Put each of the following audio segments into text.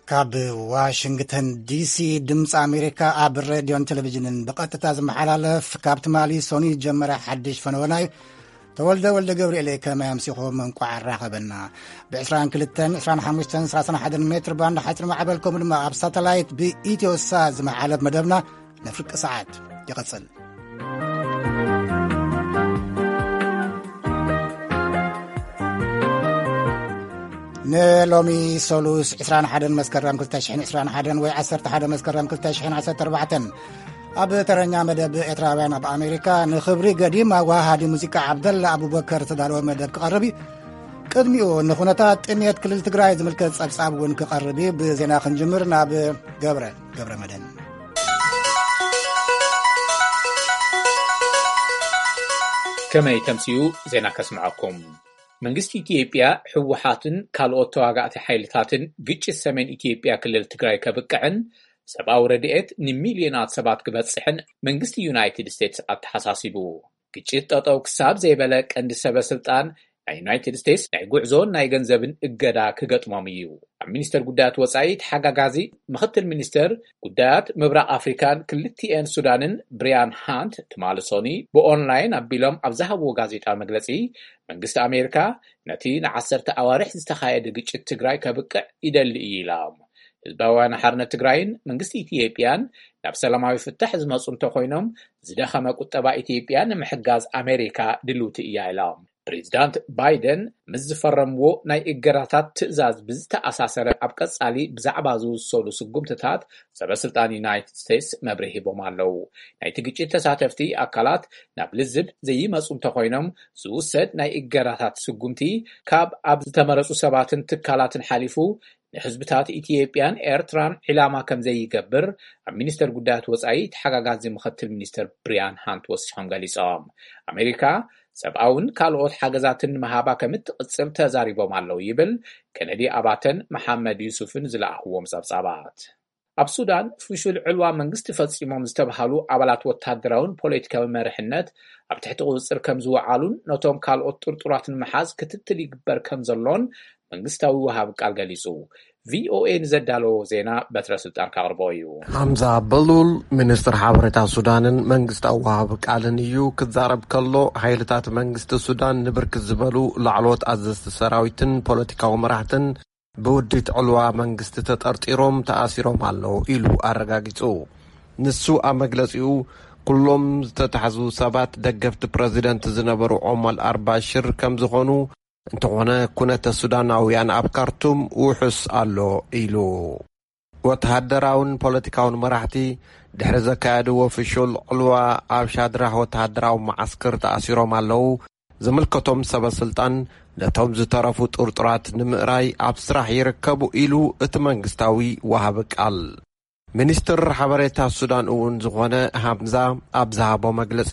ካብ ዋሽንግተን ዲሲ ድምፂ ኣሜሪካ ኣብ ሬድዮን ቴሌቪዥንን ብቐጥታ ዝመሓላለፍ ካብ ትማሊ ሶኒ ዝጀመረ ሓድሽ ፈነወና እዩ። ተወልደ ወልደ ገብርኤል ከመይ ኣምሲኹም? እንቋዕ ኣራኸበና። ብ22፣ 25፣ 31 ሜትር ባንድ ሓፂር ማዕበል ከምኡ ድማ ኣብ ሳተላይት ብኢትዮሳ ዝመሓለፍ መደብና ንፍርቂ ሰዓት ይቐፅል። ንሎሚ ሰሉስ 21 መስከረም 2021 ወይ 11 መስከረም 2014 ኣብ ተረኛ መደብ ኤርትራውያን ኣብ ኣሜሪካ ንኽብሪ ገዲም ኣዋሃዲ ሙዚቃ ዓብደላ ኣቡበከር ዝተዳለወ መደብ ክቐርብ እዩ። ቅድሚኡ ንኹነታት ጥሜት ክልል ትግራይ ዝምልከት ጸብጻብ እውን ክቐርብ እዩ። ብዜና ክንጅምር ናብ ገብረ፣ ገብረ መድህን። ከመይ ተምጽኡ ዜና ከስምዓኩም። መንግስቲ ኢትዮጵያ፣ ህወሓትን ካልኦት ተዋጋእቲ ሓይልታትን ግጭት ሰሜን ኢትዮጵያ ክልል ትግራይ ከብቅዕን ሰብኣዊ ረድኤት ንሚልዮናት ሰባት ክበጽሕን መንግስቲ ዩናይትድ ስቴትስ ኣተሓሳሲቡ። ግጭት ጠጠው ክሳብ ዘይበለ ቀንዲ ሰበ ስልጣን ናይ ዩናይትድ ስቴትስ ናይ ጉዕዞን ናይ ገንዘብን እገዳ ክገጥሞም እዩ። ኣብ ሚኒስተር ጉዳያት ወጻኢ ተሓጋጋዚ ምኽትል ሚኒስተር ጉዳያት ምብራቕ ኣፍሪካን ክልቲኤን ሱዳንን ብሪያን ሃንት ትማሊ ሶኒ ብኦንላይን ኣቢሎም ኣብ ዝሃብዎ ጋዜጣዊ መግለጺ፣ መንግስቲ ኣሜሪካ ነቲ ንዓሰርተ ኣዋርሕ ዝተኻየደ ግጭት ትግራይ ከብቅዕ ይደሊ እዩ ኢሎም። ህዝባውያን ሓርነት ትግራይን መንግስቲ ኢትዮጵያን ናብ ሰላማዊ ፍታሕ ዝመፁ እንተኮይኖም፣ ዝደኸመ ቁጠባ ኢትዮጵያ ንምሕጋዝ ኣሜሪካ ድልውቲ እያ ኢሎም። ፕሬዚዳንት ባይደን ምስ ዝፈረምዎ ናይ እገዳታት ትእዛዝ ብዝተኣሳሰረ ኣብ ቀጻሊ ብዛዕባ ዝውሰዱ ስጉምትታት ሰበ ስልጣን ዩናይትድ ስቴትስ መብርሂ ሂቦም ኣለዉ። ናይቲ ግጭት ተሳተፍቲ ኣካላት ናብ ልዝብ ዘይመፁ እንተኮይኖም፣ ዝውሰድ ናይ እገዳታት ስጉምቲ ካብ ኣብ ዝተመረፁ ሰባትን ትካላትን ሓሊፉ ንህዝብታት ኢትዮጵያን ኤርትራን ዒላማ ከም ዘይገብር ኣብ ሚኒስተር ጉዳያት ወጻኢ ተሓጋጋዚ ምኽትል ሚኒስተር ብሪያን ሃንት ወሲኾም ገሊጾም። ኣሜሪካ ሰብኣውን ካልኦት ሓገዛትን ምሃባ ከም እትቕጽል ተዛሪቦም ኣለዉ ይብል ከነዲ ኣባተን መሓመድ ዩሱፍን ዝለኣኽዎም ጸብጻባት። ኣብ ሱዳን ፍሹል ዕልዋ መንግስቲ ፈጺሞም ዝተባህሉ ኣባላት ወታደራውን ፖለቲካዊ መርሕነት ኣብ ትሕቲ ቁጽጽር ከም ዝወዓሉን ነቶም ካልኦት ጥርጡራት ንምሓዝ ክትትል ይግበር ከም ዘሎን መንግስታዊ ወሃቢ ቃል ገሊጹ። ቪኦኤ ንዘዳለዎ ዜና በትረ ስልጣን ካቕርቦ እዩ። ሓምዛ በሉል፣ ሚኒስትር ሓበሬታ ሱዳንን መንግስታዊ ወሃቢ ቃልን እዩ። ክዛረብ ከሎ፣ ሓይልታት መንግስቲ ሱዳን ንብርክት ዝበሉ ላዕለዎት ኣዘዝቲ ሰራዊትን ፖለቲካዊ መራሕትን ብውዲት ዕልዋ መንግስቲ ተጠርጢሮም ተኣሲሮም ኣለዉ ኢሉ ኣረጋጊጹ። ንሱ ኣብ መግለጺኡ፣ ኩሎም ዝተታሕዙ ሰባት ደገፍቲ ፕረዚደንት ዝነበሩ ዖመር ኣልባሽር ከም ዝኾኑ፣ እንተኾነ ኩነተ ሱዳናውያን ኣብ ካርቱም ውሑስ ኣሎ ኢሉ። ወተሃደራውን ፖለቲካውን መራሕቲ ድሕሪ ዘካየድዎ ፍሹል ዕልዋ ኣብ ሻድራህ ወተሃደራዊ መዓስከር ተኣሲሮም ኣለዉ። ዝምልከቶም ሰበ ስልጣን ነቶም ዝተረፉ ጥርጡራት ንምእራይ ኣብ ስራሕ ይርከቡ ኢሉ እቲ መንግስታዊ ወሃቢ ቃል። ሚኒስትር ሓበሬታ ሱዳን እውን ዝኾነ ሃምዛ ኣብ ዝሃቦ መግለጺ፣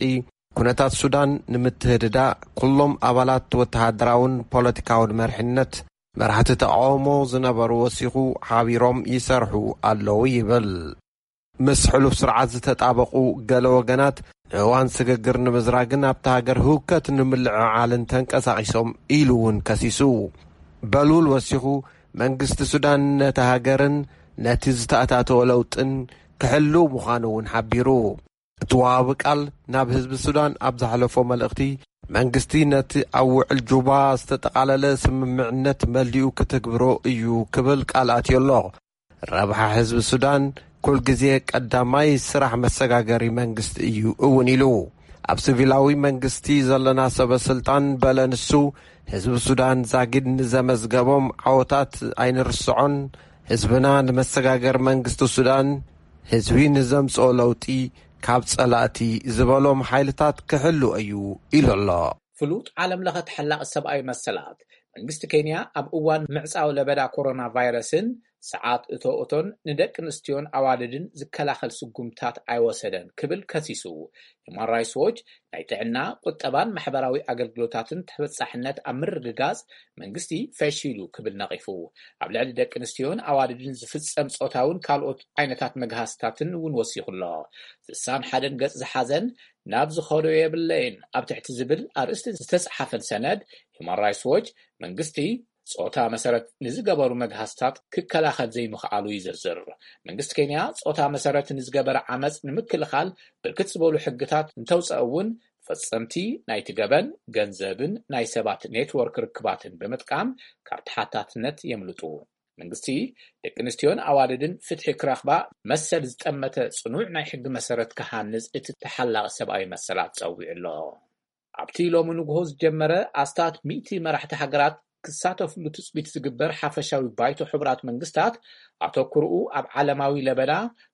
ኩነታት ሱዳን ንምትህድዳእ ኩሎም ኣባላት ወተሃደራውን ፖለቲካውን መርሕነት መራሕቲ ተቃውሞ ዝነበሩ ወሲኹ ሓቢሮም ይሰርሑ ኣለዉ ይብል። ምስ ሕሉፍ ስርዓት ዝተጣበቑ ገለ ወገናት ንእዋን ስግግር ንምዝራግን ኣብታ ሃገር ህውከት ንምልዕዓልን ተንቀሳቒሶም ኢሉ እውን ከሲሱ። በሉል ወሲኹ መንግስቲ ሱዳን ነታ ሃገርን ነቲ ዝተኣታተወ ለውጥን ክሕልው ምዃኑ እውን ሓቢሩ። እቲ ወሃቢ ቃል ናብ ህዝቢ ሱዳን ኣብ ዘሕለፎ መልእኽቲ፣ መንግስቲ ነቲ ኣብ ውዕል ጁባ ዝተጠቓለለ ስምምዕነት መሊኡ ክትግብሮ እዩ ክብል ቃል ኣትዩ ኣሎ። ረብሓ ህዝቢ ሱዳን ኩል ግዜ ቀዳማይ ስራሕ መሰጋገሪ መንግስቲ እዩ እውን ኢሉ። ኣብ ሲቪላዊ መንግስቲ ዘለና ሰበ ስልጣን በለ ንሱ፣ ህዝቢ ሱዳን ዛጊድ ንዘመዝገቦም ዓወታት ኣይንርስዖን። ህዝብና ንመሰጋገር መንግስቲ ሱዳን፣ ህዝቢ ንዘምጽኦ ለውጢ ካብ ጸላእቲ ዝበሎም ሓይልታት ክሕሉ እዩ ኢሉ ኣሎ። ፍሉጥ ዓለም ለኸ ተሓላቒ ሰብኣዊ መሰላት መንግስቲ ኬንያ ኣብ እዋን ምዕጻው ለበዳ ኮሮና ቫይረስን ሰዓት እቶ እቶን ንደቂ ኣንስትዮን ኣዋልድን ዝከላኸል ስጉምታት ኣይወሰደን ክብል ከሲሱ። ሂማን ራይትስ ዎች ናይ ጥዕና፣ ቁጠባን ማሕበራዊ ኣገልግሎታትን ተበጻሕነት ኣብ ምርግጋጽ መንግስቲ ፈሺሉ ክብል ነቒፉ። ኣብ ልዕሊ ደቂ ኣንስትዮን ኣዋልድን ዝፍጸም ጾታውን ካልኦት ዓይነታት መግሃስታትን እውን ወሲኹ ኣሎ። ስሳን ሓደን ገጽ ዝሓዘን ናብ ዝኸዶ የብለይን ኣብ ትሕቲ ዝብል ኣርእስቲ ዝተጻሓፈን ሰነድ ሂማን ራይትስ ዎች መንግስቲ ጾታ መሰረት ንዝገበሩ መግሃስታት ክከላኸል ዘይምኽኣሉ ይዝርዝር። መንግስቲ ኬንያ ጾታ መሰረት ንዝገበረ ዓመፅ ንምክልኻል ብርክት ዝበሉ ሕግታት እንተውፀእ እውን፣ ፈጸምቲ ናይቲ ገበን ገንዘብን ናይ ሰባት ኔትወርክ ርክባትን ብምጥቃም ካብ ተሓታትነት የምልጡ። መንግስቲ ደቂ ኣንስትዮን ኣዋልድን ፍትሒ ክረኽባ መሰል ዝጠመተ ጽኑዕ ናይ ሕጊ መሰረት ክሃንጽ እቲ ተሓላቒ ሰብኣዊ መሰላት ጸዊዑ ኣሎ። ኣብቲ ሎሚ ንግሆ ዝጀመረ ኣስታት ሚእቲ መራሕቲ ሃገራት ክሳተፍሉ ትጽቢት ዝግበር ሓፈሻዊ ባይቶ ሕቡራት መንግስታት ኣተኩርኡ ኣብ ዓለማዊ ለበዳ፣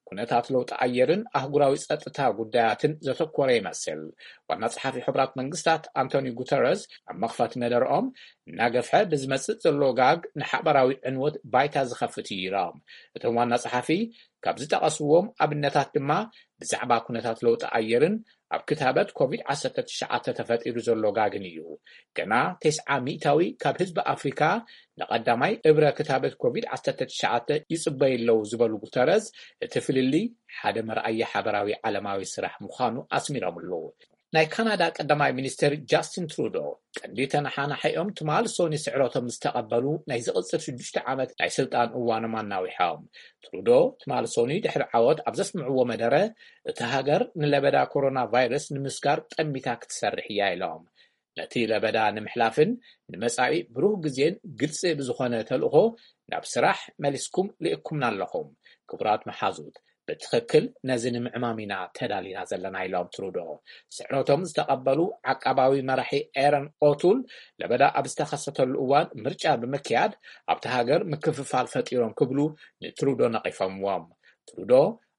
ኩነታት ለውጢ ኣየርን ኣህጉራዊ ጸጥታ ጉዳያትን ዘተኮረ ይመስል። ዋና ጸሓፊ ሕቡራት መንግስታት ኣንቶኒ ጉተረዝ ኣብ መኽፈቲ መደርኦም፣ እናገፍሐ ብዝመጽእ ዘሎ ጋግ ንሓበራዊ ዕንወት ባይታ ዝኸፍት እዩ ኢሎም። እቶም ዋና ጸሓፊ ካብ ዝጠቐስዎም ኣብነታት ድማ ብዛዕባ ኩነታት ለውጢ ኣየርን ኣብ ክታበት ኮቪድ ዓሰርተ ትሽዓተ ተፈጢሩ ዘሎ ጋግን እዩ። ገና ተስዓ ሚእታዊ ካብ ህዝቢ ኣፍሪካ ንቐዳማይ እብረ ክታበት ኮቪድ ዓሰርተ ትሽዓተ ይጽበዩ ኣለዉ ዝበሉ ጉተረዝ፣ እቲ ፍልልይ ሓደ መርኣያ ሓበራዊ ዓለማዊ ስራሕ ምዃኑ ኣስሚሮምሉ። ናይ ካናዳ ቀዳማይ ሚኒስትር ጃስቲን ትሩዶ ቀንዲ ተነሓናሒኦም ትማል ሶኒ ስዕረቶም ዝተቐበሉ ናይ ዝቕጽል ሽዱሽተ ዓመት ናይ ስልጣን እዋኖም ኣናዊሖም። ትሩዶ ትማል ሶኒ ድሕሪ ዓወት ኣብ ዘስምዕዎ መደረ፣ እታ ሃገር ንለበዳ ኮሮና ቫይረስ ንምስጋር ጠሚታ ክትሰርሕ እያ ኢሎም። ነቲ ለበዳ ንምሕላፍን ንመጻኢ ብሩህ ግዜን ግልጺ ብዝኾነ ተልእኾ ናብ ስራሕ መሊስኩም ልእኩምና ኣለኹም። ክቡራት መሓዙት፣ ብትኽክል ነዚ ንምዕማም ኢና ተዳሊና ዘለና ኢሎም ትሩዶ። ስዕረቶም ዝተቐበሉ ዓቃባዊ መራሒ ኤረን ኦቱል ለበዳ ኣብ ዝተኸሰተሉ እዋን ምርጫ ብምክያድ ኣብቲ ሃገር ምክፍፋል ፈጢሮም ክብሉ ንትሩዶ ነቒፎምዎም። ትሩዶ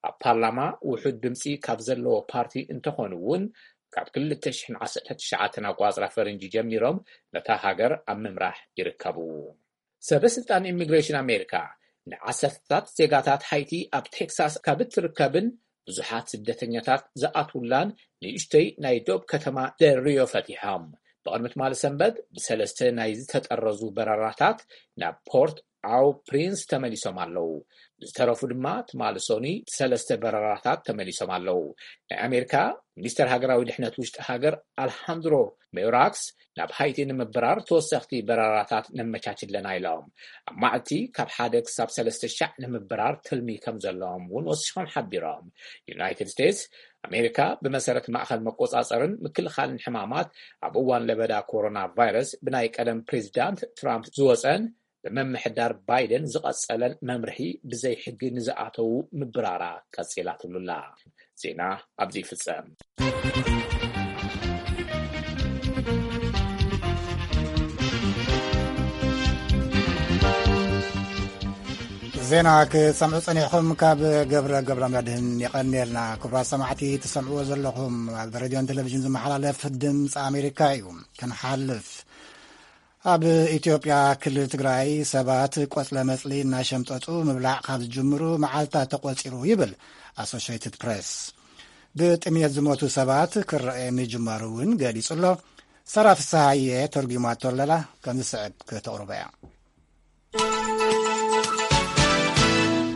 ኣብ ፓርላማ ውሑድ ድምፂ ካብ ዘለዎ ፓርቲ እንተኾኑ እውን ካብ ክልተ ሽሕን ዓሰርተ ትሽዓተን ኣቋፅራ ፈረንጂ ጀሚሮም ነታ ሃገር ኣብ ምምራሕ ይርከቡ። ሰበ ስልጣን ኢሚግሬሽን ኣሜሪካ ንዓሰርተታት ዜጋታት ሃይቲ ኣብ ቴክሳስ ካብ እትርከብን ብዙሓት ስደተኛታት ዝኣትውላን ንእሽተይ ናይ ዶብ ከተማ ደል ሪዮ ፈቲሖም። ብቕድሚ ትማሊ ሰንበት ብሰለስተ ናይ ዝተጠረዙ በረራታት ናብ ፖርት ኣው ፕሪንስ ተመሊሶም ኣለዉ። ዝተረፉ ድማ ትማሊ ሶኒ ብሰለስተ በረራታት ተመሊሶም ኣለዉ። ናይ ኣሜሪካ ሚኒስተር ሃገራዊ ድሕነት ውሽጢ ሃገር ኣልሃንድሮ ሜዮራክስ፣ ናብ ሃይቲ ንምብራር ተወሰኽቲ በረራታት ነመቻች ኣለና ኢሎም። ኣብ መዓልቲ ካብ ሓደ ክሳብ ሰለስተ ሻዕ ንምብራር ትልሚ ከም ዘለዎም እውን ወሲኾም ሓቢሮም። ዩናይትድ ስቴትስ ኣሜሪካ ብመሰረት ማእኸል መቆጻጸርን ምክልኻልን ሕማማት ኣብ እዋን ለበዳ ኮሮና ቫይረስ ብናይ ቀደም ፕሬዚዳንት ትራምፕ ዝወፀን ብምምሕዳር ባይደን ዝቐጸለን መምርሒ ብዘይ ሕጊ ንዝኣተዉ ምብራራ ቀጺላ ትብሉላ። ዜና ኣብዚ ይፍጸም። ዜና ክትሰምዑ ጸኒሕኹም ካብ ገብረ ገብረ መድህን የቐንየልና። ክቡራት ሰማዕቲ፣ ትሰምዕዎ ዘለኹም ኣብ ሬድዮን ቴሌቪዥን ዝመሓላለፍ ድምፂ ኣሜሪካ እዩ። ክንሓልፍ፣ ኣብ ኢትዮጵያ ክልል ትግራይ ሰባት ቆጽለ መጽሊ እናሸምጠጡ ምብላዕ ካብ ዝጅምሩ መዓልታት ተቆጺሩ ይብል ኣሶሽየትድ ፕሬስ። ብጥሜት ዝሞቱ ሰባት ክረኤ ምጅማሩ እውን ገሊጹ ኣሎ። ሰራ ፍስሃየ ተርጒማቶ ኣለላ፣ ከም ዝስዕብ ከተቕርቦ እያ።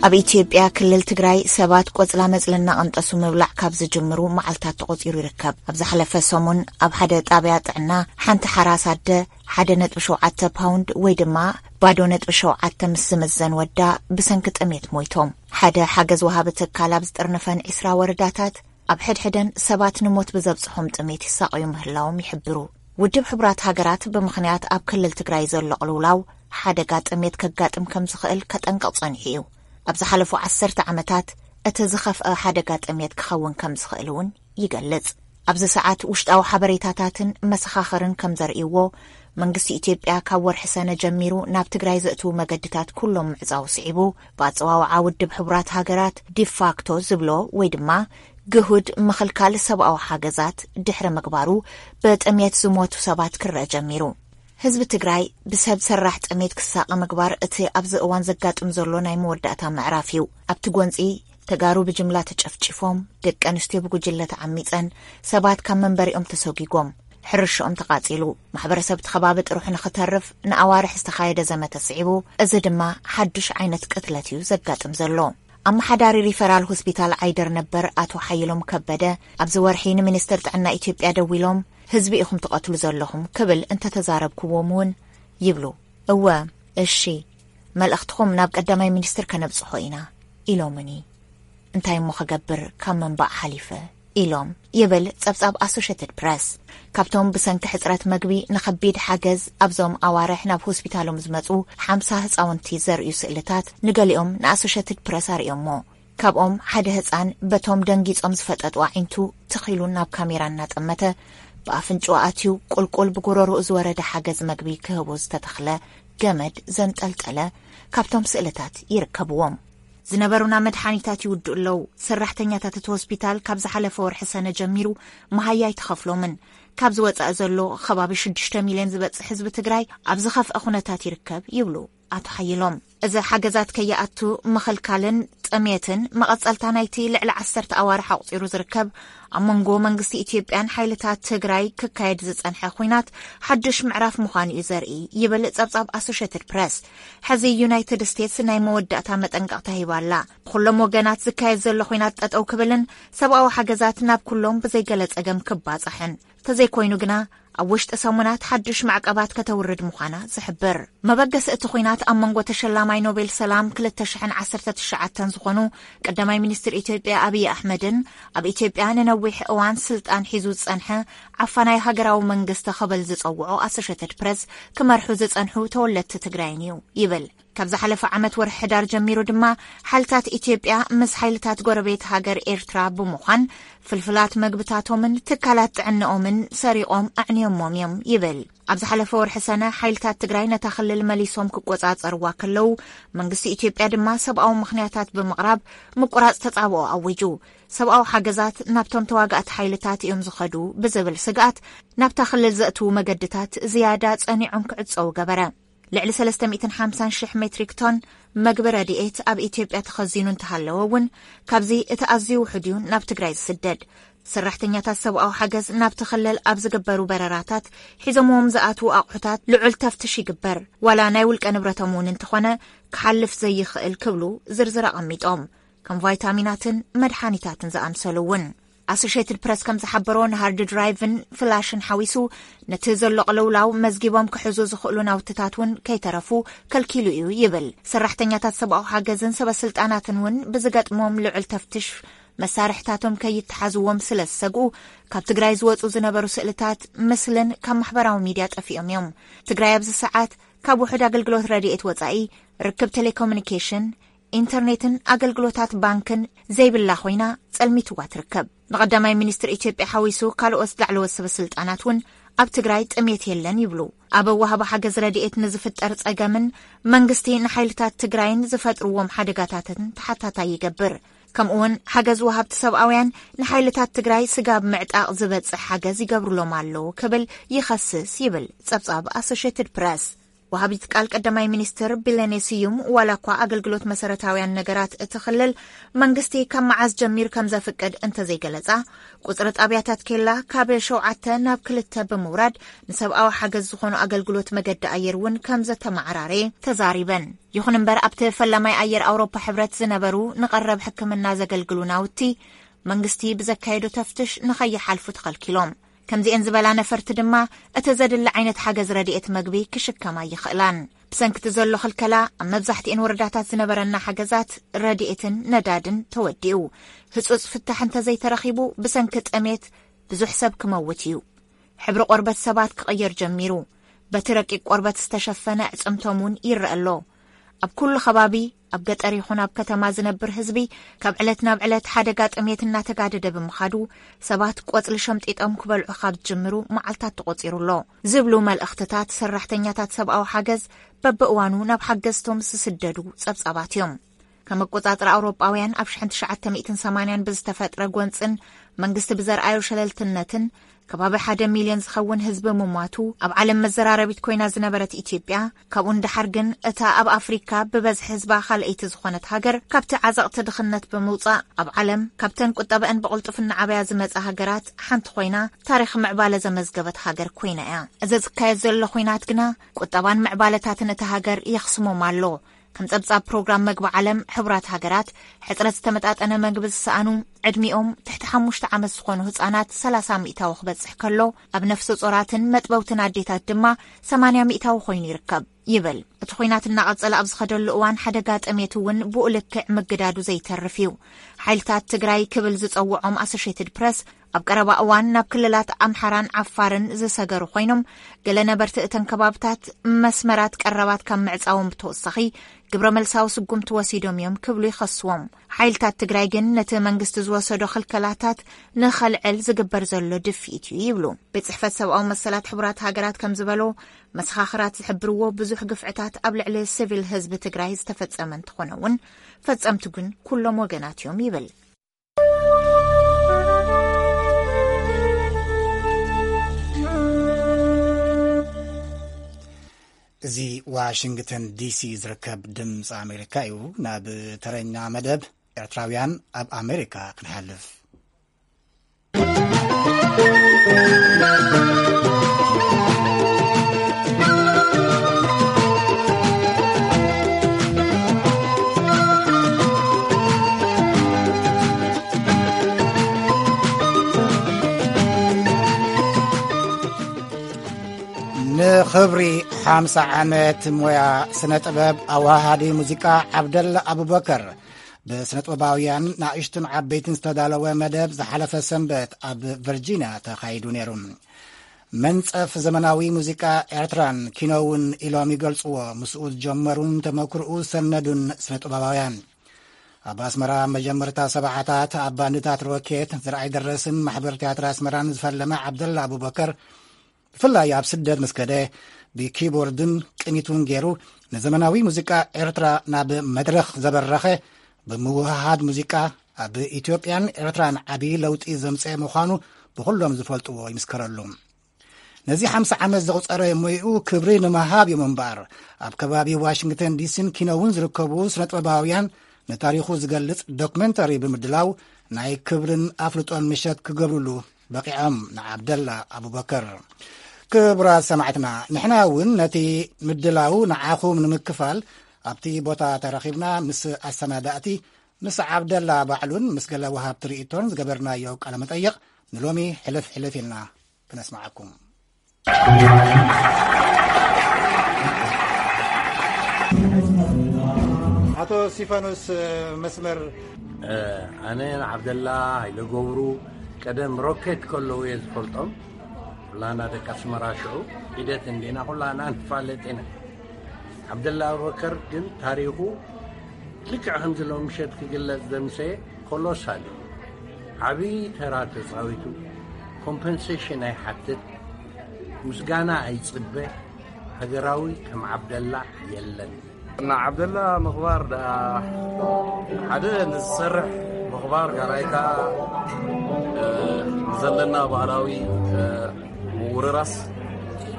ኣብ ኢትዮጵያ ክልል ትግራይ ሰባት ቆጽላ መጽሊ እናቐንጠሱ ምብላዕ ካብ ዝጅምሩ መዓልታት ተቖጺሩ ይርከብ። ኣብ ዝሓለፈ ሰሙን ኣብ ሓደ ጣብያ ጥዕና ሓንቲ ሓራስ ኣደ ሓደ ነጥቢ ሸውዓተ ፓውንድ ወይ ድማ ባዶ ነጥቢ ሸውዓተ ምስ ዝምዘን ወዳ ብሰንኪ ጥሜት ሞይቶም። ሓደ ሓገዝ ወሃቢ ትካል ኣብ ዝጥርንፈን ዒስራ ወረዳታት ኣብ ሕድሕደን ሰባት ንሞት ብዘብጽሖም ጥሜት ይሳቐዩ ምህላዎም ይሕብሩ። ውድብ ሕቡራት ሃገራት ብምኽንያት ኣብ ክልል ትግራይ ዘሎ ቅልውላው ሓደጋ ጥሜት ከጋጥም ከም ዝኽእል ከጠንቅቕ ጸኒሑ እዩ። ኣብ ዝሓለፉ ዓሰርተ ዓመታት እቲ ዝኸፍአ ሓደጋ ጥሜት ክኸውን ከም ዝኽእል እውን ይገልጽ። ኣብዚ ሰዓት ውሽጣዊ ሓበሬታታትን መሰኻኽርን ከም ዘርእይዎ፣ መንግስቲ ኢትዮጵያ ካብ ወርሒ ሰነ ጀሚሩ ናብ ትግራይ ዘእትዉ መገድታት ኩሎም ምዕጻው ስዒቡ፣ ብኣጸዋውዓ ውድብ ሕቡራት ሃገራት ዲፋክቶ ዝብሎ ወይ ድማ ግሁድ ምኽልካል ሰብኣዊ ሓገዛት ድሕሪ ምግባሩ፣ ብጥሜት ዝሞቱ ሰባት ክረአ ጀሚሩ። ህዝቢ ትግራይ ብሰብ ሰራሕ ጥሜት ክሳቐ ምግባር እቲ ኣብዚ እዋን ዘጋጥም ዘሎ ናይ መወዳእታ ምዕራፍ እዩ። ኣብቲ ጎንጺ፣ ተጋሩ ብጅምላ ተጨፍጪፎም፣ ደቂ ኣንስትዮ ብጉጅለ ተዓሚጸን፣ ሰባት ካብ መንበሪኦም ተሰጒጎም፣ ሕርሻኦም ተቓጺሉ፣ ማሕበረሰብ እቲ ከባቢ ጥርሑ ንኽተርፍ ንኣዋርሕ ዝተኻየደ ዘመተ ስዒቡ፣ እዚ ድማ ሓዱሽ ዓይነት ቅትለት እዩ ዘጋጥም ዘሎ። ኣመሓዳሪ ሪፈራል ሆስፒታል ዓይደር ነበር ኣቶ ሓየሎም ከበደ፣ ኣብዚ ወርሒ ንሚኒስትር ጥዕና ኢትዮጵያ ደዊሎም፣ ህዝቢ ኢኹም ትቐትሉ ዘለኹም ክብል እንተተዛረብክዎም እውን ይብሉ እወ፣ እሺ፣ መልእኽትኹም ናብ ቀዳማይ ሚኒስትር ከነብጽሖ ኢና ኢሎምኒ። እንታይ እሞ ክገብር ካብ ምንባዕ ሓሊፈ? ኢሎም፣ ይብል ጸብጻብ ኣሶሽትድ ፕረስ። ካብቶም ብሰንኪ ሕጽረት መግቢ ንኸቢድ ሓገዝ ኣብዞም ኣዋርሕ ናብ ሆስፒታሎም ዝመጹ ሓምሳ ህጻውንቲ ዘርእዩ ስእልታት፣ ንገሊኦም ንኣሶሽትድ ፕረስ ኣርእዮሞ። ካብኦም ሓደ ህጻን በቶም ደንጊጾም ዝፈጠጡ ኣዒንቱ ትኺሉ ናብ ካሜራ እናጠመተ፣ ብኣፍንጭኡ ኣትዩ ቁልቁል ብጎረሮኡ ዝወረደ ሓገዝ መግቢ ክህቦ ዝተተኽለ ገመድ ዘንጠልጠለ ካብቶም ስእልታት ይርከብዎም። ዝነበሩና መድሓኒታት ይውድኡ ኣለዉ። ሰራሕተኛታት እቲ ሆስፒታል ካብ ዝሓለፈ ወርሒ ሰነ ጀሚሩ መሃያ ኣይተኸፍሎምን። ካብ ዝወጻእ ዘሎ ከባቢ ሽዱሽተ ሚልዮን ዝበጽሕ ህዝቢ ትግራይ ኣብ ዝኸፍአ ኩነታት ይርከብ ይብሉ ኣቶ ሓይሎም። እዚ ሓገዛት ከይኣቱ ምኽልካልን ጥሜትን መቐጸልታ ናይቲ ልዕሊ ዓሰርተ ኣዋርሕ ኣቑጺሩ ዝርከብ ኣብ መንጎ መንግስቲ ኢትዮጵያን ሓይልታት ትግራይ ክካየድ ዝጸንሐ ኲናት ሓድሽ ምዕራፍ ምዃኑ እዩ ዘርኢ ይብል ጸብጻብ ኣሶሽትድ ፕረስ። ሕዚ ዩናይትድ ስቴትስ ናይ መወዳእታ መጠንቀቕታ ሂባ ኣላ። ብኩሎም ወገናት ዝካየድ ዘሎ ኲናት ጠጠው ክብልን ሰብኣዊ ሓገዛት ናብ ኩሎም ብዘይገለ ጸገም ክባጻሕን፣ ተዘይኮይኑ ግና ኣብ ውሽጢ ሰሙናት ሓድሽ ማዕቀባት ከተውርድ ምዃና ዝሕብር። መበገሲ እቲ ኲናት ኣብ መንጎ ተሸላማይ ኖቤል ሰላም ክልተ ሽሕን ዓሰርተ ትሽዓተን ዝኾኑ ቀዳማይ ሚኒስትር ኢትዮጵያ ኣብይ ኣሕመድን ኣብ ኢትዮጵያ ንነዊሕ እዋን ስልጣን ሒዙ ዝጸንሐ ዓፋናይ ሃገራዊ መንግስቲ ክብል ዝጸውዖ ኣሶሽትድ ፕረስ ክመርሑ ዝጸንሑ ተወለድቲ ትግራይን እዩ ይብል። ካብ ዝሓለፈ ዓመት ወርሒ ሕዳር ጀሚሩ ድማ ሓይልታት ኢትዮጵያ ምስ ሓይልታት ጎረቤት ሃገር ኤርትራ ብምዃን ፍልፍላት መግብታቶምን ትካላት ጥዕንኦምን ሰሪቖም ኣዕንዮሞም እዮም ይብል። ኣብ ዝሓለፈ ወርሒ ሰነ ሓይልታት ትግራይ ነታ ክልል መሊሶም ክቆጻጸርዋ ከለዉ፣ መንግስቲ ኢትዮጵያ ድማ ሰብኣዊ ምኽንያታት ብምቕራብ ምቁራጽ ተጻብኦ ኣዊጁ። ሰብኣዊ ሓገዛት ናብቶም ተዋጋእቲ ሓይልታት እዮም ዝኸዱ ብዝብል ስግኣት፣ ናብታ ክልል ዘእትዉ መገድታት ዝያዳ ጸኒዖም ክዕጸዉ ገበረ። ልዕሊ ሰለስተ ሚእትን ሓምሳን ሽሕ ሜትሪክ ቶን መግቢ ረድኤት ኣብ ኢትዮጵያ ተኸዚኑ እንተሃለወ እውን፣ ካብዚ እቲ ኣዝዩ ውሑድ እዩ ናብ ትግራይ ዝስደድ። ሰራሕተኛታት ሰብኣዊ ሓገዝ ናብቲ ክልል ኣብ ዝግበሩ በረራታት ሒዞምዎም ዝኣትዉ ኣቑሑታት ልዑል ተፍትሽ ይግበር፣ ዋላ ናይ ውልቀ ንብረቶም እውን እንተኾነ ክሓልፍ ዘይኽእል ክብሉ ዝርዝር ኣቐሚጦም። ከም ቫይታሚናትን መድሓኒታትን ዝኣምሰሉ እውን። ኣሶሽየትድ ፕረስ ከም ዝሓበሮ፣ ንሃርድ ድራይቭን ፍላሽን ሓዊሱ ነቲ ዘሎ ቅልውላው መዝጊቦም ክሕዙ ዝኽእሉ ናውትታት እውን ከይተረፉ ከልኪሉ እዩ ይብል። ሰራሕተኛታት ሰብኣዊ ሓገዝን ሰበስልጣናትን እውን ብዝገጥሞም ልዑል ተፍትሽ መሳርሕታቶም ከይተሓዝዎም ስለ ዝሰግኡ፣ ካብ ትግራይ ዝወፁ ዝነበሩ ስእልታት ምስልን ካብ ማሕበራዊ ሚድያ ጠፊኦም እዮም። ትግራይ ኣብዚ ሰዓት ካብ ውሑድ ኣገልግሎት ረድኤት ወፃኢ ርክብ ቴሌኮሙኒኬሽን፣ ኢንተርኔትን ኣገልግሎታት ባንክን ዘይብላ ኮይና ጸልሚትዋ ትርከብ። ንቐዳማይ ሚኒስትር ኢትዮጵያ ሓዊሱ ካልኦት ላዕለዎት ሰበስልጣናት እውን ኣብ ትግራይ ጥሜት የለን ይብሉ። ኣብ ወሃቢ ሓገዝ ረድኤት ንዝፍጠር ጸገምን መንግስቲ ንሓይልታት ትግራይን ዝፈጥርዎም ሓደጋታትን ተሓታታይ ይገብር። ከምኡውን ሓገዝ ወሃብቲ ሰብኣውያን ንሓይልታት ትግራይ ስጋብ ምዕጣቕ ዝበጽሕ ሓገዝ ይገብሩሎም ኣለዉ ክብል ይኸስስ ይብል ጸብጻብ ኣሶሽየትድ ፕረስ። ወሃቢት ቃል ቀዳማይ ሚኒስትር ቢለኔ ስዩም፣ ዋላ እኳ ኣገልግሎት መሰረታውያን ነገራት እቲ ክልል መንግስቲ ካብ መዓዝ ጀሚር ከም ዘፍቅድ እንተዘይገለጻ፣ ቁጽሪ ጣብያታት ኬላ ካብ ሸውዓተ ናብ ክልተ ብምውራድ ንሰብኣዊ ሓገዝ ዝኾኑ ኣገልግሎት መገዲ ኣየር እውን ከም ዘተመዓራረየ ተዛሪበን። ይኹን እምበር፣ ኣብቲ ፈላማይ ኣየር ኣውሮፓ ሕብረት ዝነበሩ ንቐረብ ሕክምና ዘገልግሉ ናውቲ መንግስቲ ብዘካየዶ ተፍትሽ ንኸይሓልፉ ተኸልኪሎም። ከምዚኤን ዝበላ ነፈርቲ ድማ እቲ ዘድሊ ዓይነት ሓገዝ ረድኤት መግቢ ክሽከማ ኣይኽእላን። ብሰንኪ እቲ ዘሎ ክልከላ፣ ኣብ መብዛሕትኤን ወረዳታት ዝነበረና ሓገዛት ረድኤትን ነዳድን ተወዲኡ። ህጹጽ ፍታሕ እንተዘይተረኺቡ፣ ብሰንኪ ጥሜት ብዙሕ ሰብ ክመውት እዩ። ሕብሪ ቆርበት ሰባት ክቕየር ጀሚሩ። በቲ ረቂቕ ቆርበት ዝተሸፈነ ኣዕጽምቶም እውን ይረአ ኣሎ። ኣብ ኩሉ ከባቢ፣ ኣብ ገጠር ይኹን ኣብ ከተማ ዝነብር ህዝቢ፣ ካብ ዕለት ናብ ዕለት ሓደጋ ጥሜት እናተጋደደ ብምኻዱ፣ ሰባት ቆጽሊ ሸምጢጦም ክበልዑ ካብ ዝጅምሩ መዓልታት ተቖጺሩ ኣሎ ዝብሉ መልእኽትታት ሰራሕተኛታት ሰብኣዊ ሓገዝ በብእዋኑ ናብ ሓገዝቶም ዝስደዱ ጸብጻባት እዮም። ከም ኣቆጻጽራ ኣውሮጳውያን ኣብ ሽሕን ትሽዓተ ሚእትን ሰማንያን ብዝተፈጥረ ጎንጽን መንግስቲ ብዘርኣዮ ሸለልትነትን፣ ከባቢ ሓደ ሚልዮን ዝኸውን ህዝቢ ምሟቱ፣ ኣብ ዓለም መዘራረቢት ኮይና ዝነበረት ኢትዮጵያ፣ ካብኡ ንደሓር ግን እታ ኣብ ኣፍሪካ ብበዝሒ ህዝባ ካልኣይቲ ዝኾነት ሃገር፣ ካብቲ ዓዘቕቲ ድኽነት ብምውጻእ፣ ኣብ ዓለም ካብተን ቁጠበአን ብቕልጡፍ እናዓበያ ዝመጻ ሃገራት ሓንቲ ኮይና ታሪኽ ምዕባለ ዘመዝገበት ሃገር ኮይና እያ። እዚ ዝካየድ ዘሎ ኲናት ግና ቁጠባን ምዕባለታትን እታ ሃገር የኽስሞም ኣሎ። ከም ጸብጻብ ፕሮግራም መግቢ ዓለም ሕቡራት ሃገራት፣ ሕጽረት ዝተመጣጠነ መግቢ ዝሰኣኑ ዕድሚኦም ትሕቲ ሓሙሽተ ዓመት ዝኾኑ ህጻናት ሰላሳ ሚእታዊ ክበጽሕ ከሎ፣ ኣብ ነፍሰ ጾራትን መጥበውትን ኣዴታት ድማ ሰማንያ ሚእታዊ ኮይኑ ይርከብ። ይብል። እቲ ኹናት እናቐጸለ ኣብ ዝኸደሉ እዋን፣ ሓደጋ ጥሜት እውን ብኡ ልክዕ ምግዳዱ ዘይተርፍ እዩ። ሓይልታት ትግራይ ክብል ዝጸውዖም ኣሶሼትድ ፕረስ፣ ኣብ ቀረባ እዋን ናብ ክልላት ኣምሓራን ዓፋርን ዝሰገሩ ኮይኖም፣ ገለ ነበርቲ እተን ከባብታት መስመራት ቀረባት ካብ ምዕጻዎም ብተወሳኺ፣ ግብረ መልሳዊ ስጉምቲ ወሲዶም እዮም ክብሉ ይኸስዎም። ሓይልታት ትግራይ ግን ነቲ መንግስቲ ዝወሰዶ ክልከላታት ንኸልዕል ዝግበር ዘሎ ድፍኢት እዩ ይብሉ። ቤት ጽሕፈት ሰብኣዊ መሰላት ሕቡራት ሃገራት ከም ዝበሎ፣ መሰኻኽራት ዝሕብርዎ ብዙሕ ግፍዕታት ኣብ ልዕሊ ሲቪል ህዝቢ ትግራይ ዝተፈጸመ እንተኾነ እውን፣ ፈጸምቲ ግን ኩሎም ወገናት እዮም ይብል። እዚ ዋሽንግተን ዲሲ ዝርከብ ድምፂ ኣሜሪካ እዩ። ናብ ተረኛ መደብ ኤርትራውያን ኣብ ኣሜሪካ ክንሓልፍ። ንኽብሪ ሓምሳ ዓመት ሞያ ስነ ጥበብ ኣወሃሃዲ ሙዚቃ ዓብደላ ኣቡበከር ብስነ ጥበባውያን ናእሽቱን ዓበይትን ዝተዳለወ መደብ ዝሓለፈ ሰንበት ኣብ ቨርጂንያ ተኻይዱ ነይሩ። መንጸፍ ዘመናዊ ሙዚቃ ኤርትራን ኪኖ እውን ኢሎም ይገልጽዎ። ምስኡ ዝጀመሩን ተመክርኡ ዝሰነዱን ስነ ጥበባውያን። ኣብ ኣስመራ መጀመርታ ሰብዓታት ኣብ ባንድታት ሮኬት፣ ዝርኣይ ደረስን ማሕበር ትያትር ኣስመራን ዝፈለመ ዓብደላ ኣቡበከር፣ ብፍላይ ኣብ ስደት ምስ ከደ፣ ብኪቦርድን ቅኒቱን ገይሩ ንዘመናዊ ሙዚቃ ኤርትራ ናብ መድረኽ ዘበረኸ፣ ብምውህሃድ ሙዚቃ ኣብ ኢትዮጵያን ኤርትራን ዓቢ ለውጢ ዘምጽአ ምዃኑ ብኹሎም ዝፈልጥዎ ይምስከረሉ። ነዚ ሓምሳ ዓመት ዘቑጸረ ሞይኡ ክብሪ ንምሃብ እዮም እምበኣር፣ ኣብ ከባቢ ዋሽንግተን ዲሲን ኪኖ እውን ዝርከቡ ስነ ጥበባውያን ንታሪኹ ዝገልጽ ዶክመንተሪ ብምድላው ናይ ክብርን ኣፍልጦን ምሸት ክገብርሉ በቂዖም። ንዓብደላ ኣቡበከር። ክቡራት ሰማዕትና፣ ንሕና እውን ነቲ ምድላው ንዓኹም ንምክፋል ኣብቲ ቦታ ተረኺብና ምስ ኣሰናዳእቲ፣ ምስ ዓብደላ ባዕሉን ምስ ገለ ወሃብቲ ርእይቶን ዝገበርናዮ ቃለ መጠይቕ ንሎሚ ሕልፍ ሕልፍ ኢልና ክነስምዓኩም። ኣቶ እስቲፋኖስ መስመር። ኣነ ንዓብደላ ሃይለ ገብሩ ቀደም ሮኬት ከለዉ እየ ዝፈልጦም። ኩላና ደቂ ኣስመራ ሽዑ ሒደት እንዲና፣ ኩላና ንፋለጥ ኢና። ዓብደላ ኣቡበከር ግን ታሪኹ ልክዕ ከምዚ ሎሚ ምሸት ክግለጽ ዘምሰየ ኮሎሳል እዩ። ዓብዪ ተራ ተጻዊቱ። ኮምፐንሴሽን ኣይሓትት፣ ምስጋና ኣይጽበ። ሃገራዊ ከም ዓብደላ የለን። ንዓብደላ ምኽባር ደኣ ሓደ ንዝሰርሕ ምኽባር፣ ካልኣይ ከኣ፣ እ፣ ንዘለና ባህላዊ፣ እ፣ ምውርራስ፣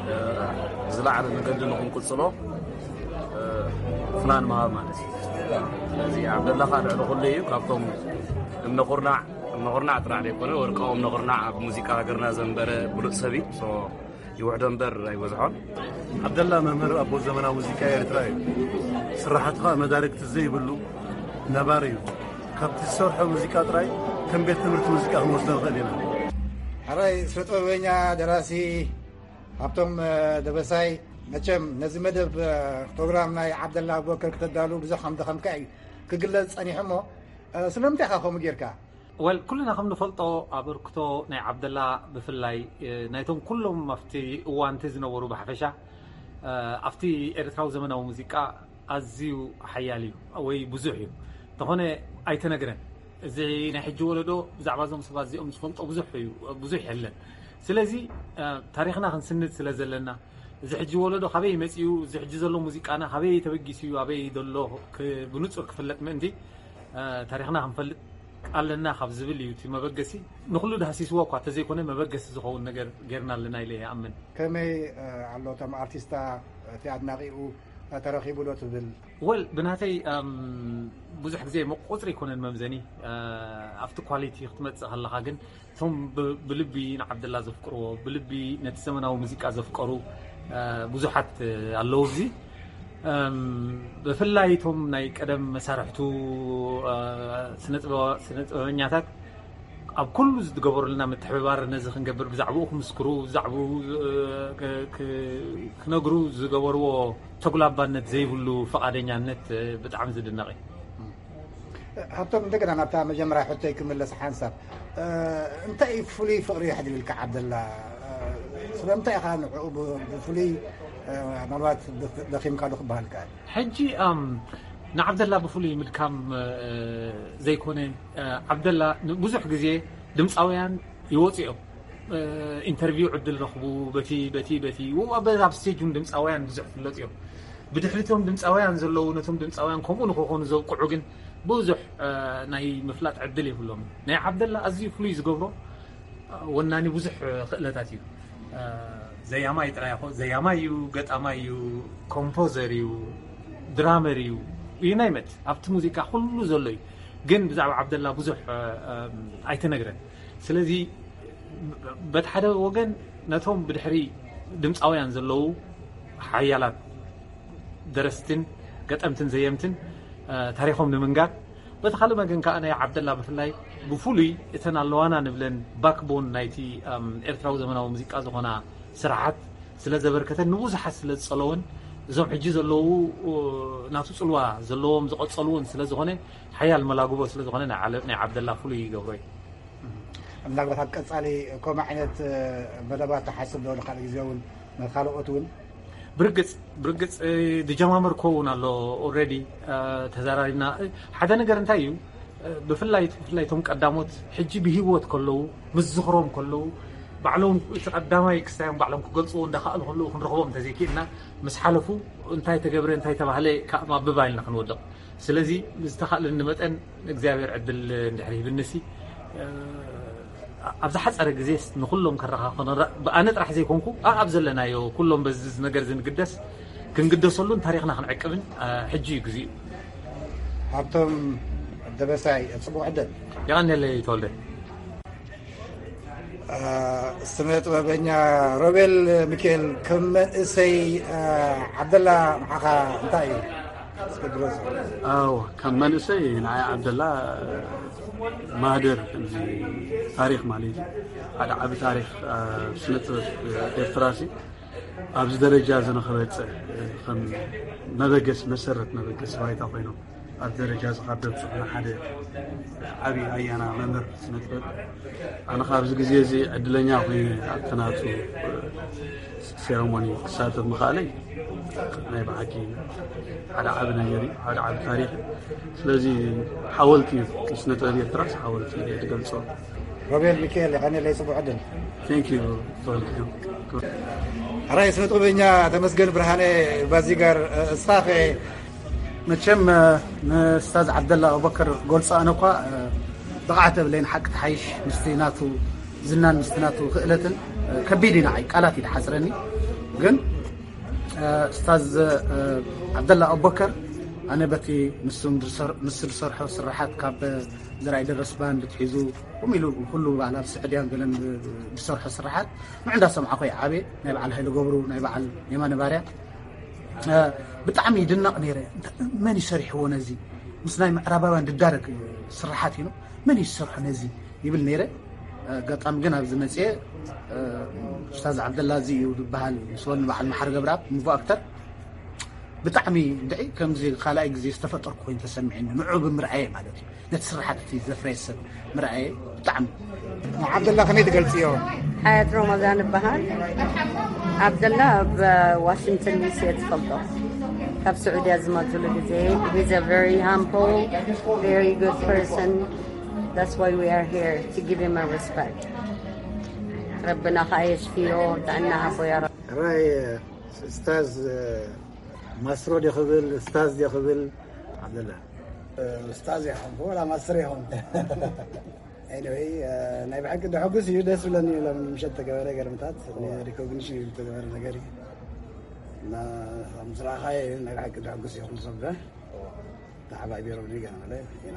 እ፣ ብዝለዓለ መገዲ ንኽንቅጽሎ፣ እ፣ ፍናን ምሃብ ማለት እዩ። ስለዚ ዓብደላ ከኣ ልዕሊ ኩሉ እዩ። ካብቶም እምነ ኩርናዕ፣ እምነ ኩርናዕ ጥራሕ ዘይኮነ፣ ወርቃዊ እምነ ኩርናዕ ኣብ ሙዚቃ ሃገርና ዘንበረ ብሉጽ ሰብ እዩ። ሶ፣ ይውሕዶ እምበር ኣይበዝሖን። ዓብደላ መምህር ኣቦ ዘመናዊ ሙዚቃ ኤርትራ እዩ። ስራሓቱ ኸኣ መዳርግቲ ዘይብሉ ነባሪ እዩ። ካብቲ ዝሰርሖ ሙዚቃ ጥራይ ከም ቤት ትምህርቲ ሙዚቃ ክንወስዶ ንኽእል ኢና። ሕራይ ስነ ጥበበኛ ደራሲ ሃብቶም፣ እ፣ ደበሳይ፣ መቸም ነዚ መደብ፣ እ፣ ፕሮግራም ናይ ዓብደላ ኣቡበከር ክተዳሉ ብዙሕ ከም ደኸምካ እዩ ክግለጽ ጸኒሑ እሞ፣ እ፣ ስለምንታይ ኢኻ ከምኡ ጌርካ? ወል፣ ኩልና ከም ንፈልጦ ኣበርክቶ ናይ ዓብደላ ብፍላይ፣ እ፣ ናይቶም ኩሎም ኣብቲ እዋንቲ ዝነበሩ ብሓፈሻ፣ እ፣ ኣብቲ ኤርትራዊ ዘመናዊ ሙዚቃ ኣዝዩ ሓያል እዩ ወይ ብዙሕ እዩ። እንተኾነ ኣይተነግረን። እዚ ናይ ሕጂ ወለዶ ብዛዕባ እዞም ሰባት እዚኦም ዝፈልጦ ብዙሕ እዩ፣ ብዙሕ የለን። ስለዚ፣ እ፣ ታሪኽና ክንስንድ ስለ ዘለና፣ እዚ ሕጂ ወለዶ ካበይ መጺኡ፣ እዚ ሕጂ ዘሎ ሙዚቃና ካበይ ተበጊሱ እዩ፣ ኣበይ ዘሎ ክ-፣ ብንጹር ክፍለጥ ምእንቲ፣ እ፣ ታሪኽና ክንፈልጥ ኣለና ካብ ዝብል እዩ እቲ መበገሲ። ንኹሉ ዳህሲስዎ እኳ እንተዘይኮነ፣ መበገሲ ዝኸውን ነገር ጌርና ኣለና ኢለ ይኣምን። ከመይ፣ እ፣ ኣሎ እቶም ኣርቲስታ፣ እቲ ኣድናቂኡ ተረኺቡ ዶ ትብል? ወል፣ ብናተይ፣ እም፣ ብዙሕ ግዜ ሞ-፣ ቁጽሪ ኣይኮነን መምዘኒ። እ፣ ኣብቲ ኳሊቲ ክትመጽእ ከለኻ ግን፣ እቶም ብ-፣ ብልቢ ንዓብደላ ዘፍቅርዎ፣ ብልቢ ነቲ ዘመናዊ ሙዚቃ ዘፍቀሩ፣ እ፣ ብዙሓት፣ እ፣ ኣለዉ ኣብዚ። እም፣ ብፍላይ እቶም ናይ ቀደም መሳርሕቱ፣ እ፣ ስነ ጥበባ-፣ ስነ ጥበበኛታት ኣብ ኩሉ ዝትገበሩልና ምትሕብባር ነዚ ክንገብር ብዛዕባኡ ክምስክሩ ብዛዕባኡ ክነግሩ ዝገበርዎ ተጉላባነት ዘይብሉ ፈቓደኛነት ብጣዕሚ ዝድነቕ እዩ። ሃብቶም፣ እንደገና ናብታ መጀመርያ ሕቶይ ክምለስ ሓንሳብ፣ እንታይ እዩ ፍሉይ ፍቕሪ የሕድርልካ ዓብደላ? ስለምንታይ ኢኻ ንዕኡ ብፍሉይ፣ ምናልባት ደኺምካ ዶ ክበሃል ይከኣል? ሕጂ ንዓብደላ ብፍሉይ ምድካም ዘይኮነ፣ ዓብደላ ብዙሕ ግዜ ድምፃውያን ይወፁ እዮም። ኢንተርቪው ዕድል ረኽቡ በቲ በቲ በቲ ኣብ ስቴጅ እውን ድምፃውያን ብዙሕ ፍለጡ እዮም። ብድሕሪቶም ድምፃውያን ዘለዉ ነቶም ድምፃውያን ከምኡ ንክኾኑ ዘብቅዑ ግን ብዙሕ ናይ ምፍላጥ ዕድል የብሎም። ናይ ዓብደላ ኣዝዩ ፍሉይ ዝገብሮ ወናኒ ብዙሕ ክእለታት እዩ። ዘያማይ ጥራይ ይኾ ዘያማይ እዩ፣ ገጣማይ እዩ፣ ኮምፖዘር እዩ፣ ድራመር እዩ። ይናይመት ኣብቲ ሙዚቃ ኩሉ ዘሎ እዩ። ግን ብዛዕባ ዓብደላ ብዙሕ ኣይተነግረን። ስለዚ በቲ ሓደ ወገን ነቶም ብድሕሪ ድምፃውያን ዘለዉ ሓያላት ደረስትን ገጠምትን ዘየምትን ታሪኾም ንምንጋር፣ በቲ ካልእ መገን ከዓ ናይ ዓብደላ ብፍላይ ብፍሉይ እተን ኣለዋና ንብለን ባክቦን ናይቲ ኤርትራዊ ዘመናዊ ሙዚቃ ዝኾና ስራሓት ስለ ዘበርከተን ንብዙሓት ስለ ዝጸለወን እዞም ሕጂ ዘለዉ ናቱ ጽልዋ ዘለዎም ዝቐጸልዎን ስለ ዝኾነ ሓያል መላግቦ ስለ ዝኾነ ናይ ዓለ- ናይ ዓብደላ ፍሉይ ይገብሮ እዩ። ምናልባት ኣብ ቀጻሊ ከምኡ ዓይነት መደባት ትሓስብ ዶ ንካልእ ግዜ እውን ካልኦት እውን ብርግጽ ብርግጽ ዝጀማመርኮ እውን ኣሎ። ኦልሬዲ ተዘራሪብና። ሓደ ነገር እንታይ እዩ፣ ብፍላይ ብፍላይ እቶም ቀዳሞት ሕጂ ብሂወት ከለዉ ምስ ዝኽሮም ከለዉ ባዕሎም እቲ ቀዳማይ ክስታዮም ባዕሎም ክገልፅዎ እንዳኸኣሉ ከለዉ ክንረኽቦም እንተዘይክእልና ምስ ሓለፉ እንታይ ተገብረ እንታይ ተባህለ ካብ ማብባ ኢልና ክንወድቕ። ስለዚ ዝተኻእለኒ መጠን እግዚኣብሔር ዕድል እንድሕር ሂብንሲ ኣብ ዝሓፀረ ግዜ ንኩሎም ከረኻ ብኣነ ጥራሕ ዘይኮንኩ ኣብ ዘለናዮ ኩሎም በዚ ነገር ዝንግደስ ክንግደሰሉን ታሪኽና ክንዕቅብን ሕጂ እዩ ግዜኡ። ሃብቶም ደበሳይ ጽቡቕ ዕድል። የቐንየለይ ተወልደ። ስነ ጥበበኛ ሮቤል ሚካኤል፣ ከም መንእሰይ ዓብደላ ንዓኻ እንታይ እዩ? እስኪ ግለጹ። ኣዎ፣ ከም መንእሰይ ንዓይ ዓብደላ ማህደር ከምዚ ታሪኽ ማለት እዩ። ሓደ ዓቢ ታሪኽ ኣብ ስነ ጥበብ ኤርትራ ሲ ኣብዚ ደረጃ እዚ ንኽበጽሕ ከም መበገሲ መሰረት መበገሲ ባይታ ኮይኖም ኣብ ደረጃ እዚ ካብ ዘብጽሑና ሓደ ዓቢ ኣያና መምህር ስነ ጥበብ። ኣነ ካብዚ ግዜ እዚ ዕድለኛ ኮይነ ኣብቲ ናቱ ሴረሞኒ ክሳተፍ ምኽኣለይ ናይ ብሓቂ ሓደ ዓቢ ነገር እዩ፣ ሓደ ዓቢ ታሪኽ እዩ። ስለዚ ሓወልቲ እዩ፣ ስነ ጥበብ ኤርትራስ ሓወልቲ እዩ ዝገልጾ። ሮቤል ሚካኤል የቐንየለይ፣ ጽቡቕ ዕድል። Thank you ተወልደ። ሕራይ ስነ ጥበበኛ ተመስገን ብርሃነ ባዚጋር እስኻኸ? መቸም ንእስታዝ ዓብደላ ኣቡበከር ክገልጾ ኣነ እኳ ብቕዓት የብለይን፣ ሓቂ ትሓይሽ ምስቲ ናቱ ዝናን ምስቲ ናቱ ክእለትን ከቢድ እዩ ንዓይ፣ ቃላት እዩ ዝሓጽረኒ። ግን እስታዝ ዓብደላ ኣቡበከር ኣነ በቲ ንሱ ዝሰርሖ ስራሓት ካብ ዘርኣይ ደረስ ባንድ ትሒዙ ከምኡ ኢሉ ኩሉ በዓል ኣብ ስዑድያን ገለን ዝሰርሖ ስራሓት ንዑ እንዳሰማዕኹ እየ ዓብየ። ናይ በዓል ሃይለ ገብሩ፣ ናይ በዓል የማነ ባርያ ብጣዕሚ ይድነቕ ነይረ። መን እዩ ሰሪሕዎ ነዚ? ምስ ናይ ምዕራባውያን ዝዳረግ ስራሓት እዩ። መን እዩ ዝሰርሖ ነዚ ይብል ነይረ። ኣጋጣሚ ግን ኣብዚ መፅየ ኡስታዝ ዓብደላ እዚ እዩ ዝበሃል ምስ ወኒ በዓል መሓሪ ገብረኣብ ንፉ ኣክተር ብጣዕሚ እንድዒ ከምዚ ካልኣይ ግዜ ዝተፈጠርኩ ኮይኑ ተሰሚዕኒ፣ ንዑ ብምርኣየ ማለት እዩ። ነቲ ስራሓት እቲ ዘፍረየ ሰብ ምርኣየ ብጣዕሚ። ንዓብደላ ከመይ ትገልፅዮ? ሓያት ሮመዳን እበሃል። ዓብደላ ኣብ ዋሽንግተን ዲሲ እየ ዝፈልጦ። ካብ ስዑድያ ዝመፅሉ ግዜ he's a very humble, very good person. That's why we are here to give him a respect. ረብና ከዓ የሽፍዮ፣ ጥዕና ሃቦ ያ ረብ። ሕራይ እስታዝ ማስትሮ ድዮ ክብል እስታዝ ድዮ ክብል ዓብደላ? እስታዝ ይኹን ወላ ማስትሮ ይኹን anyway ናይ ብሓቂ ደሐጉስ እዩ፣ ደስ ብለኒ እዩ። ሎም ምሸት ተገበረ ገርምታት ሪኮግኒሽን እዩ ዝተገበረ ነገር እዩ እና ምስ ረኣኻዮ ናይ ብሓቂ ደሐጉስ እዩ። ኩሉ ሰብ ተሓባቢሮም ገና ማለት እዩ።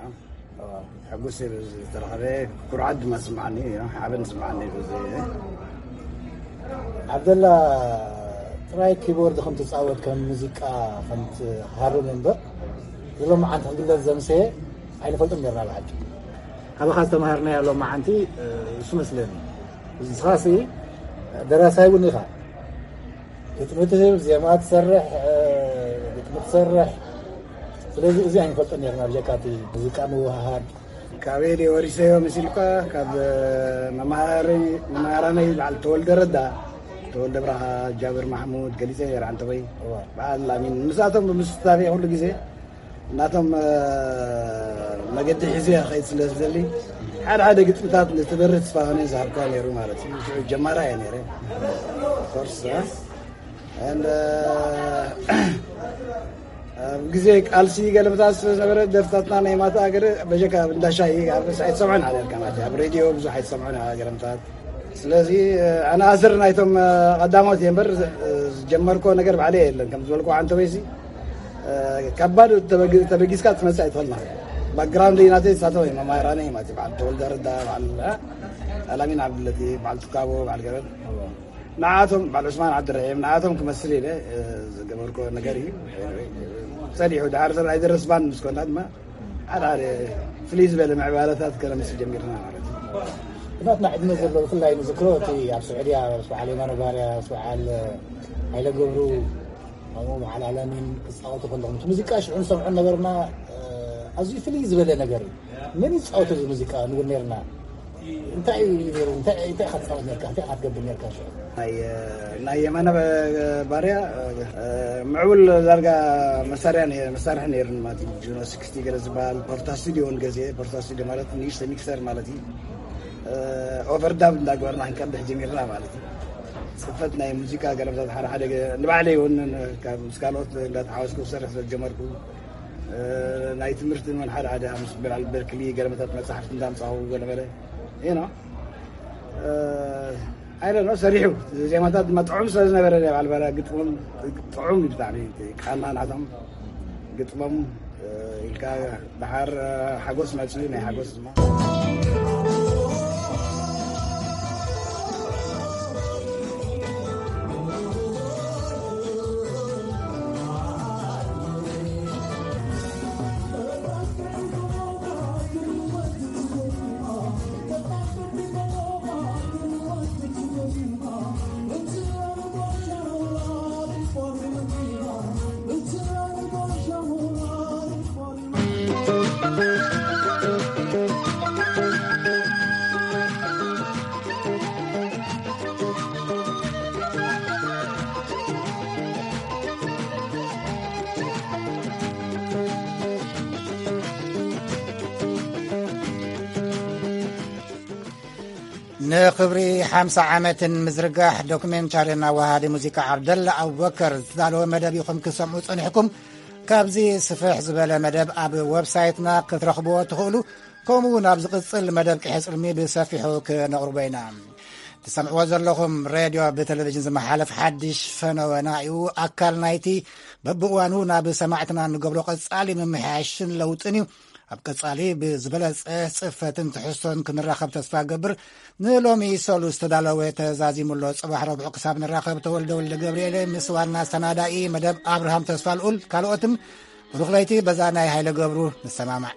ሕጉስ ዝተረኸበ ኩርዓት ድማ ስምዓኒ፣ ሓበን ስምዓኒ። ዓብደላ ጥራይ ኪቦርድ ከም ትጻወት ከም ሙዚቃ ከም ትሃርም እምበር ንሎምዓንቲ ክንግለጽ ዘምሰየ ኣይንፈልጥን ነርና ብሓቂ። ኣባኻ ዝተማሃርናዮ ሎማዓንቲ እሱ መስለኒ። ንስኻሲ ደራሳይ እውን ኢኻ። ግጥሚ ትህብ፣ ዜማ ትሰርሕ፣ ግጥሚ ትሰርሕ። ስለዚ እዚ ኣይንፈልጦ ነርና ብጀካ እቲ ሙዚቃ ምውሃሃድ። ካበይ ድየ ወሪሰዮ መሲልካ? ካብ መምሃሪ-፣ መምሃራነይ በዓል ተወልደ ረዳ፣ ተወልደ ብርሃ፣ ጃብር ማሕሙድ ገሊፀ ነይረ ዓንተወይ። እዋ። በዓል ኣሚን። ምስኣቶም ብምስታፍ ኩሉ ግዜ ናቶም መገዲ ሒዘ ክኸይድ ስለ ዝደሊ፣ ሓደ ሓደ ግጥምታት ንትምህርቲ ተስፋ ሆነ ዝሃብካ ነይሩ ማለት እዩ። ሽዑ ጀማራ እየ ነይረ። ኮርስ፣ እ? And, እ፣ ኣብ ግዜ ቃልሲ ገለምታት ስለ ዝነበረ ደርፍታትና ናይ ማታ ገለ በጀካ እንዳሻይ ኣብ ርእሲ ኣይትሰምዖን ኣለካ ማለት እዩ። ኣብ ሬድዮ ብዙሕ ኣይትሰምዖን ገለምታት። ስለዚ፣ እ፣ ኣነ ኣስር ናይቶም፣ እ፣ ቀዳሞት እየ እምበር፣ ዝ-፣ ዝጀመርኮ ነገር ባዕለይ የለን። ከም ዝበልኩ ዓንተ ወይሲ፣ እ፣ ካብ ባዶ ተበግ-፣ ተበጊስካ ትመጽእ ኣይትኽእልና። ባክግራውንድ ናተይ ዝሳተወ እዩ፣ መማህራነይ ማለት እዩ። በዓል ተወልደ ረዳ፣ በዓል፣ እ፣ ኣላሚን ዓብዱለቲ፣ በዓል ትካቦ፣ በዓል ገረን። ንዓቶም፣ በዓል ዑስማን ዓብድረሒም፣ ንዓቶም ክመስል ኢለ፣ እ፣ ዝገበርኮ ነገር እዩ። ጸኒሑ፣ ድሓር ሰብ ኣይደረስ ባንድ ምስ ኮና ድማ፣ ሓደ ሓደ ፍልይ ዝበለ ምዕባለታት ከነምጽእ ጀሚርና ማለት እዩ። ብናትና ዕድመ ዘሎ ብፍላይ ንዝክሮ እቲ ኣብ ስዑድያ ምስ በዓል የማነ ባርያ፣ ምስ በዓል ሃይለ ገብሩ፣ ከምኡ በዓል ኣለሚን ክጻወቱ ከለኹም፣ እቲ ሙዚቃ ሽዑ ንሰምዖ ነበርና፣ እ፣ ኣዝዩ ፍልይ ዝበለ ነገር እዩ። መን ይጻወቶ እዚ ሙዚቃ ንብል ነርና። እንታይ እዩ ነይሩ? እንታይ፣ እንታይ ኢኻ ትጻወት ነርካ? እንታይ ኢኻ ትገብር ነርካ ሽዑ? ናይ፣ ናይ የማነ ባርያ፣ እ፣ ምዕቡል ዳርጋ መሳርያ ነይ-፣ መሳርሒ ነይሩን ማለት እዩ። ጁኖ ሲክስቲ ገለ ዝበሃል ፖርታ ስቱዲዮ እውን ገዜ፣ ፖርታ ስቱዲዮ ማለት ንእሽቶ ሚክሰር ማለት እዩ። እ፣ ኦቨርዳብ እንዳገበርና ክንቀድሕ ጀሚርና ማለት እዩ። ጽፈት ናይ ሙዚቃ ገለምታት ሓደ ሓደ ገ-፣ ንባዕለይ እውን ካብ ምስ ካልኦት እንዳተሓወስኩ ክሰርሕ ስለ ዝጀመርኩ፣ እ፣ ናይ ትምህርቲ እውን ሓደ ሓደ ምስ በዓል በርክሊ ገለመታት መጻሕፍቲ እንዳምጻኹ ገለመለ፣ you know፣ እ፣ I don't know፣ ሰሪሑ። ዜማታት ድማ ጥዑም ስለ ዝነበረ ናይ በዓል ባርያ ግጥሞም ጥዑም እዩ ብጣዕሚ። ቃና ናቶም ግጥሞም፣ እ፣ ኢልካ ደሓር፣ እ፣ ሓጎስ መጽኡ ናይ ሓጎስ ድማ ንኽብሪ ሓምሳ ዓመትን ምዝርጋሕ ዶክሜንታሪና ወሃቢ ሙዚቃ ዓብደላ ኣቡበከር ዝተዳለወ መደብ ኢኹም ክሰምዑ ጸኒሕኩም። ካብዚ ስፍሕ ዝበለ መደብ ኣብ ዌብሳይትና ክትረኽብዎ ትኽእሉ። ከምኡ እውን ኣብ ዝቕጽል መደብ ቅሐ ጽልሚ ብሰፊሑ ክነቕርቦ ኢና። ትሰምዕዎ ዘለኹም ሬድዮ ብቴሌቪዥን ዝመሓለፍ ሓድሽ ፈነወና እዩ። ኣካል ናይቲ በብእዋኑ ናብ ሰማዕትና እንገብሮ ቀጻሊ ምምሕያሽን ለውጥን እዩ። ኣብ ቀጻሊ ብዝበለጸ ጽፈትን ትሕዝቶን ክንራኸብ ተስፋ እገብር። ንሎሚ ሰሉስ ዝተዳለወ ተዛዚሙ ኣሎ። ጽባሕ ረቡዕ ክሳብ ንራኸብ፣ ተወልደ ወልደ ገብርኤል ምስ ዋና ኣሰናዳኢ መደብ ኣብርሃም ተስፋ ልኡል ካልኦትን ብሩኽ ለይቲ በዛ ናይ ሃይለ ገብሩ ንሰማማዕ።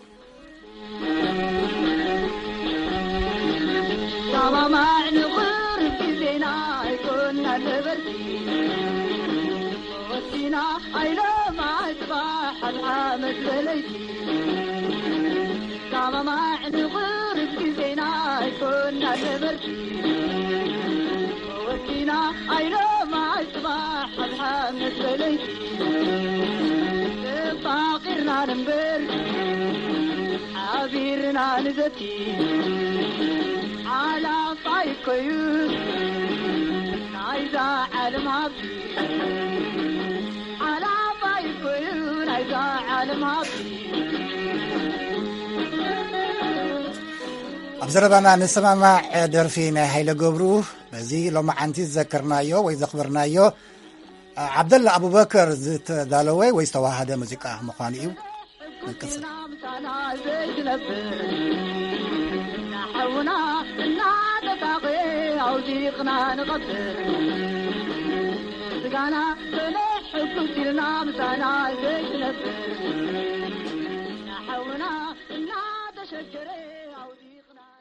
ሰማማዕ ንቕርብ ግዜና ኣይኮና ነበርቲ ወሲና ኣይሎማ ጽባሕ ኣብሓ መትበለይቲ ሰማማዕ ንቕርብ ግዜና ኣይኮና ነበርቲ ወሲና ኣይሎማ ጽባሕ ኣብሓ መትበለይቲ ተፋቒርና ንንበር ሓቢርና ንዘቲ ሓላፋይ እኮዩ ናይዛ ዓለም ሃብቲ ሓላፋይ እኮዩ ናይዛ ዓለም ሃብቲ ኣብ ዘረባና ንሰማማዕ ደርፊ ናይ ሃይለ ገብሩ በዚ ሎማዓንቲ ዝዘከርናዮ ወይ ዘኽበርናዮ ዓብደላ ኣቡበከር ዝተዳለወ ወይ ዝተዋሃደ ሙዚቃ ምዃኑ እዩ። ንቅጽል። ምሳና ዘይትነብር እናሓውና እናተሳቐ ኣውዲቕና ንቐብር ስጋና ተነሕጉስ ኢልና ምሳና ዘይትነብር እናሓውና እናተሸገረ